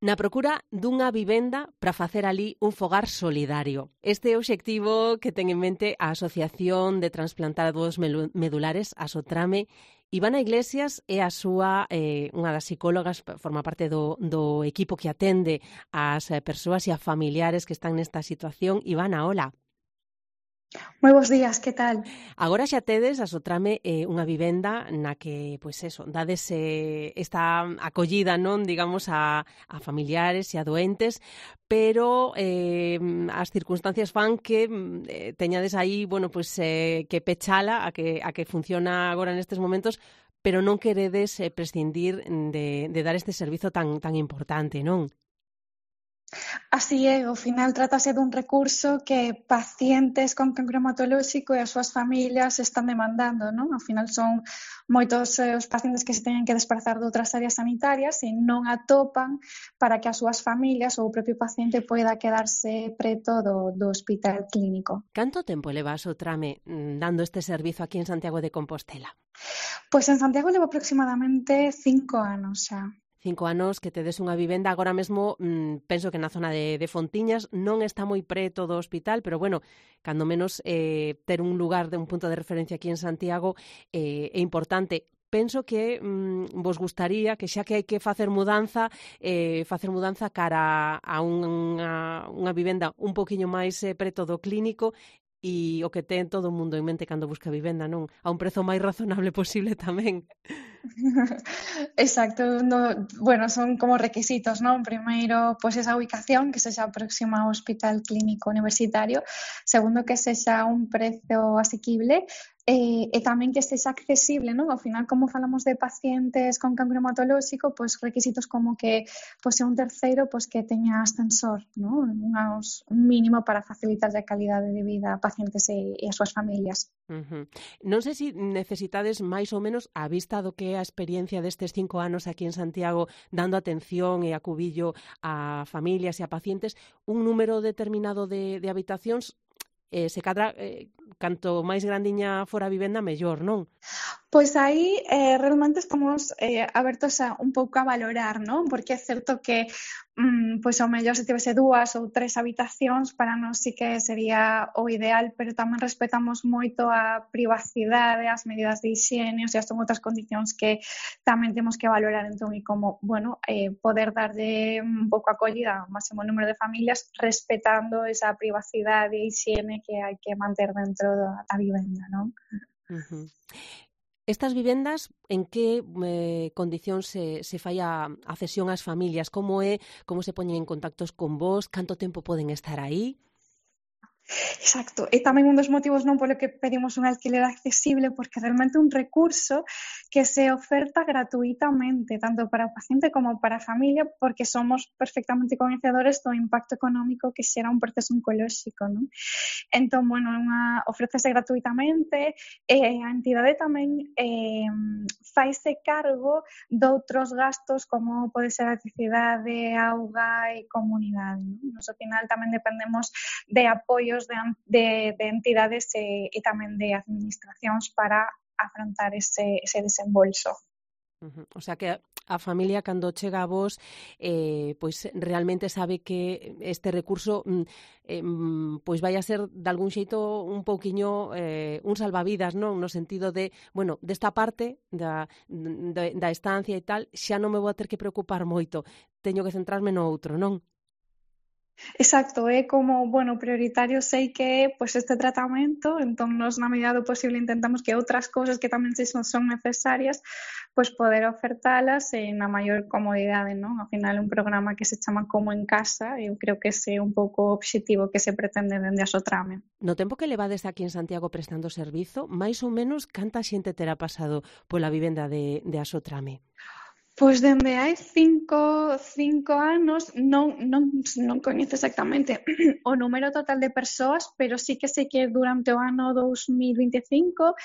Na procura dunha vivenda para facer ali un fogar solidario. Este é o obxectivo que ten en mente a Asociación de Transplantados Medulares, a Sotrame. Ivana Iglesias é a súa, unha das psicólogas, forma parte do equipo que atende as persoas e a familiares que están nesta situación. Ivana, hola. Moi bons días, que tal? Agora xa tedes a Sotrame unha vivenda na que, pois eso, dades esta acollida, non, digamos, a familiares e a doentes, pero as circunstancias fan que teñades aí, bueno, pois que pechala a que funciona agora nestes momentos, pero non queredes prescindir de dar este servizo tan importante, non? Así é, ao final trátase dun recurso que pacientes con cancro hematolóxico e as súas familias están demandando, non? Ao final son moitos os pacientes que se teñen que desplazar de outras áreas sanitarias e non atopan para que as súas familias ou o propio paciente poida quedarse preto do hospital clínico. Canto tempo leva a Sotrame dando este servizo aquí en Santiago de Compostela? Pois en Santiago levo aproximadamente 5 anos xa. 5 anos que tedes unha vivenda, agora mesmo penso que na zona de Fontiñas non está moi preto do hospital, pero bueno, cando menos ter un lugar, un punto de referencia aquí en Santiago é importante. Penso que vos gustaría que xa que hai que facer mudanza cara a unha vivenda un poquinho máis preto do clínico e o que ten todo o mundo en mente cando busca vivenda, non? A un prezo máis razonable posible tamén. Exacto, bueno, son como requisitos, non? Primeiro, pois esa ubicación que sexa próxima ao hospital clínico universitario, segundo que sexa un prezo asequible e tamén que sexa accesible, non? Ao final, como falamos de pacientes con cancro hematolóxico, pois requisitos como que pois un terceiro pois que teña ascensor, non? Un mínimo para facilitar a calidade de vida a pacientes e as súas familias. Non sei se necesitades máis ou menos a vista do que é a experiencia destes 5 anos aquí en Santiago dando atención e acubillo a familias e a pacientes, un número determinado de habitacións, se cadra, canto máis grandiña fora a vivenda, mellor, non? Pois aí realmente estamos abertos un pouco a valorar, non? Porque é certo que pois ao mellor se tivese 2 ou 3 habitacións para nós sí que sería o ideal, pero tamén respetamos moito a privacidade, as medidas de higiene, o sea, son outras condicións que tamén temos que valorar, entón, e como, bueno, poder darlle un pouco acollida ao máximo número de familias respetando esa privacidade e higiene que hai que manter dentro da vivenda, non? Estas vivendas, en que condicións se fai a cesión ás familias? Como se poñen en contactos con vos? Canto tempo poden estar aí? Exacto, e tamén un dos motivos non polo que pedimos un alquiler accesible, porque realmente un recurso que se oferta gratuitamente, tanto para o paciente como para a familia, porque somos perfectamente coñecedores do impacto económico que xera un proceso oncolóxico, non? Entón, bueno, ofrécese gratuitamente e a entidade tamén faise cargo doutros gastos como pode ser a electricidade, auga e comunidade, non? Nos, ao final, tamén dependemos de apoio de entidades e tamén de administracións para afrontar ese desembolso. O sea que a familia cando chega a vos pois realmente sabe que este recurso pois vai a ser de algún xeito un pouquiño un salvavidas, non? No sentido de, bueno, desta parte da estancia e tal, xa non me vou a ter que preocupar moito, teño que centrarme no outro, non? Exacto, é como, bueno, prioritario sei que é pois este tratamento, entón nos na medida do posible intentamos que outras cousas que tamén son necesarias pois poder ofertalas na maior comodidade, non? Ao final un programa que se chama Como en Casa, eu creo que ese é un pouco o obxectivo que se pretende dende a Sotrame. No tempo que levades aquí en Santiago prestando servizo, máis ou menos canta xente terá pasado pola vivenda de a Sotrame? Pois dende hai 5 anos non coñezo exactamente o número total de persoas, pero sí que sei que durante o ano 2025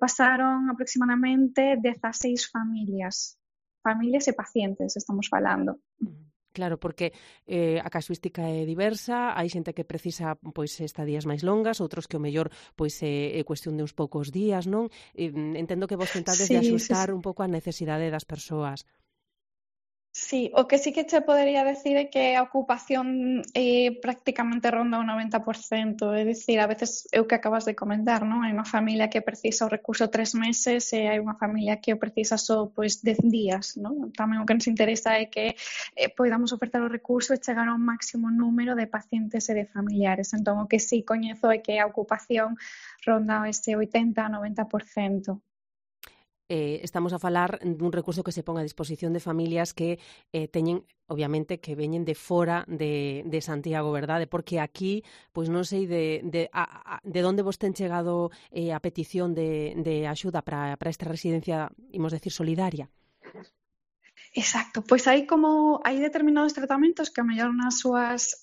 pasaron aproximadamente 16 familias e pacientes, estamos falando. Claro, porque a casuística é diversa, hai xente que precisa pois estadías máis longas, outros que o mellor pois é cuestión de uns poucos días, non? Entendo que vos tentades de axustar un pouco a necesidade das persoas. Sí, o que sí que che podería decir é que a ocupación prácticamente ronda o 90%, é dicir, a veces é o que acabas de comentar, non? Hai unha familia que precisa o recurso 3 meses e hai unha familia que o precisa só pois 10 días, non? Tamén o que nos interesa é que poidamos ofertar o recurso e chegar ao máximo número de pacientes e de familiares. Entón, o que sí coñezo é que a ocupación ronda ese 80-90%. Estamos a falar dun recurso que se pon a disposición de familias que teñen, obviamente, que veñen de fora de Santiago, verdade? Porque aquí, pois non sei de onde vos ten chegado a petición de axuda para esta residencia, imos decir, solidaria. Exacto, pois hai determinados tratamentos que a mellor nas súas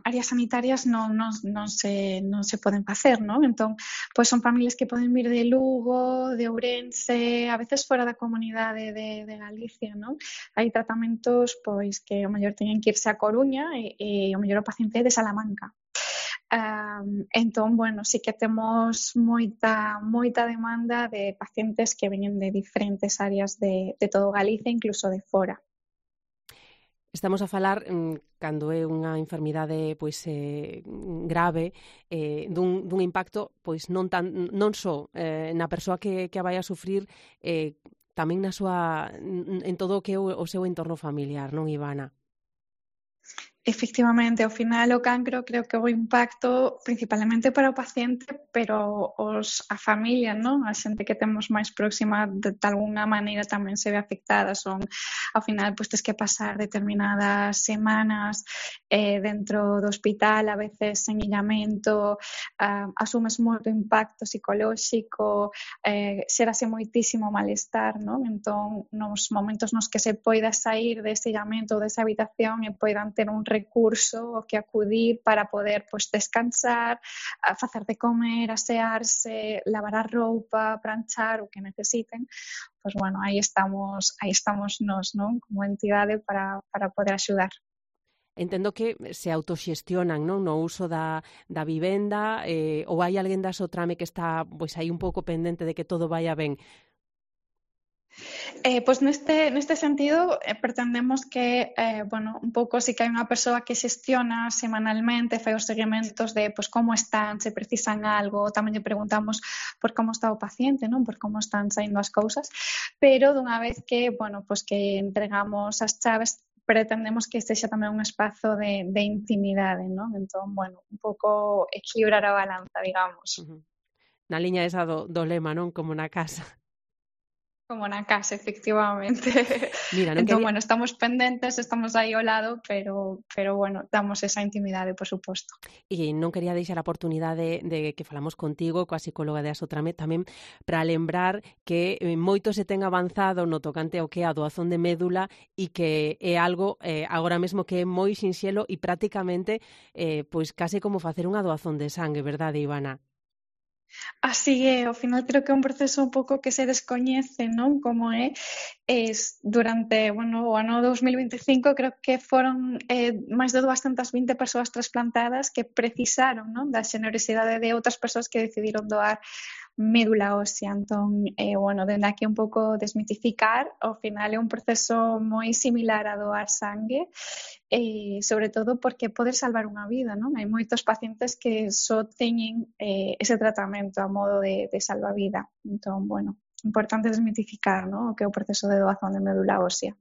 áreas sanitarias non se poden facer, non? Entón, pois son familias que poden vir de Lugo, de Ourense, a veces fora da comunidade de Galicia, non? Hai tratamentos pois que o mellor teñen que irse a Coruña e o mellor o paciente é de Salamanca. Entón, bueno, sí que temos moita demanda de pacientes que veñen de diferentes áreas de todo Galicia, incluso de fora. Estamos a falar, cando é unha enfermidade pois grave, dun impacto pois non só na persoa que a vai a sufrir, tamén en todo o que é o seu entorno familiar, non, Ivana? Efectivamente, ao final o cancro creo que o impacto principalmente para o paciente, pero a familia, non? A xente que temos máis próxima de algunha maneira tamén se ve afectada. Ao final, pois tes que pasar determinadas semanas dentro do hospital, a veces en illamento, asumes moito impacto psicolóxico, xérase moitísimo malestar, non? Entón, nos momentos nos que se poida sair dese illamento ou desa habitación e poidan ter un recurso ao que acudir para poder pois descansar, facer de comer, asearse, lavar a roupa, planchar, o que necesiten. Pois bueno, aí estamos nós, non? Como entidade para poder axudar. Entendo que se autoxestionan, non, no uso da vivenda, ou hai alguén da Sotrame que está pois aí un pouco pendente de que todo vaya ben. Pois neste sentido pretendemos que, bueno, un pouco si que hai unha persoa que xestiona semanalmente, fai os seguimentos de pois como están, se precisan algo, tamén lle preguntamos por como está o paciente, non, por como están saindo as cousas, pero dunha vez que, bueno, pois que entregamos as chaves, pretendemos que sexa tamén un espazo de intimidade, non? Entón, bueno, un pouco equilibrar a balanza, digamos. Na liña esa do lema, non, como na casa. Como na casa, efectivamente. Mira, Entón, bueno, estamos pendentes, estamos aí ao lado, pero bueno, damos esa intimidade, por suposto. E non quería deixar a oportunidade de que falamos contigo, coa psicóloga de Asotrame, tamén para lembrar que moito se ten avanzado no tocante ao que é a doazón de médula e que é algo agora mesmo que é moi sinxelo e prácticamente pois case como facer unha doazón de sangue, verdade, Ivana? Así é, ao final creo que é un proceso un pouco que se descoñece, non? Como durante, bueno, o ano 2025 creo que foron máis de 220 persoas trasplantadas que precisaron, non, da xenerosidade de outras persoas que decidiron doar médula ósea. Entón, bueno, dende aquí un pouco desmitificar, ao final é un proceso moi similar a doar sangue, sobre todo porque pode salvar unha vida, non? Hai moitos pacientes que só teñen ese tratamento a modo de salvavida. Entón, bueno, importante desmitificar, non? O que é o proceso de doazón de médula ósea.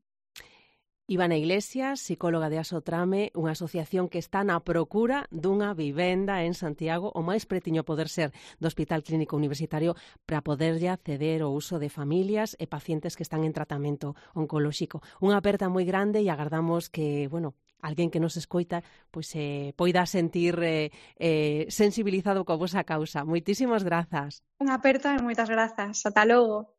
Ivana Iglesias, psicóloga de Asotrame, unha asociación que está na procura dunha vivenda en Santiago o máis pretiño poder ser do Hospital Clínico Universitario para poderlle acceder ao uso de familias e pacientes que están en tratamento oncolóxico. Unha aperta moi grande e agardamos que, bueno, alguén que nos escoita pois poida sentir sensibilizado coa vosa causa. Moitísimas grazas. Unha aperta e moitas grazas. Ata logo.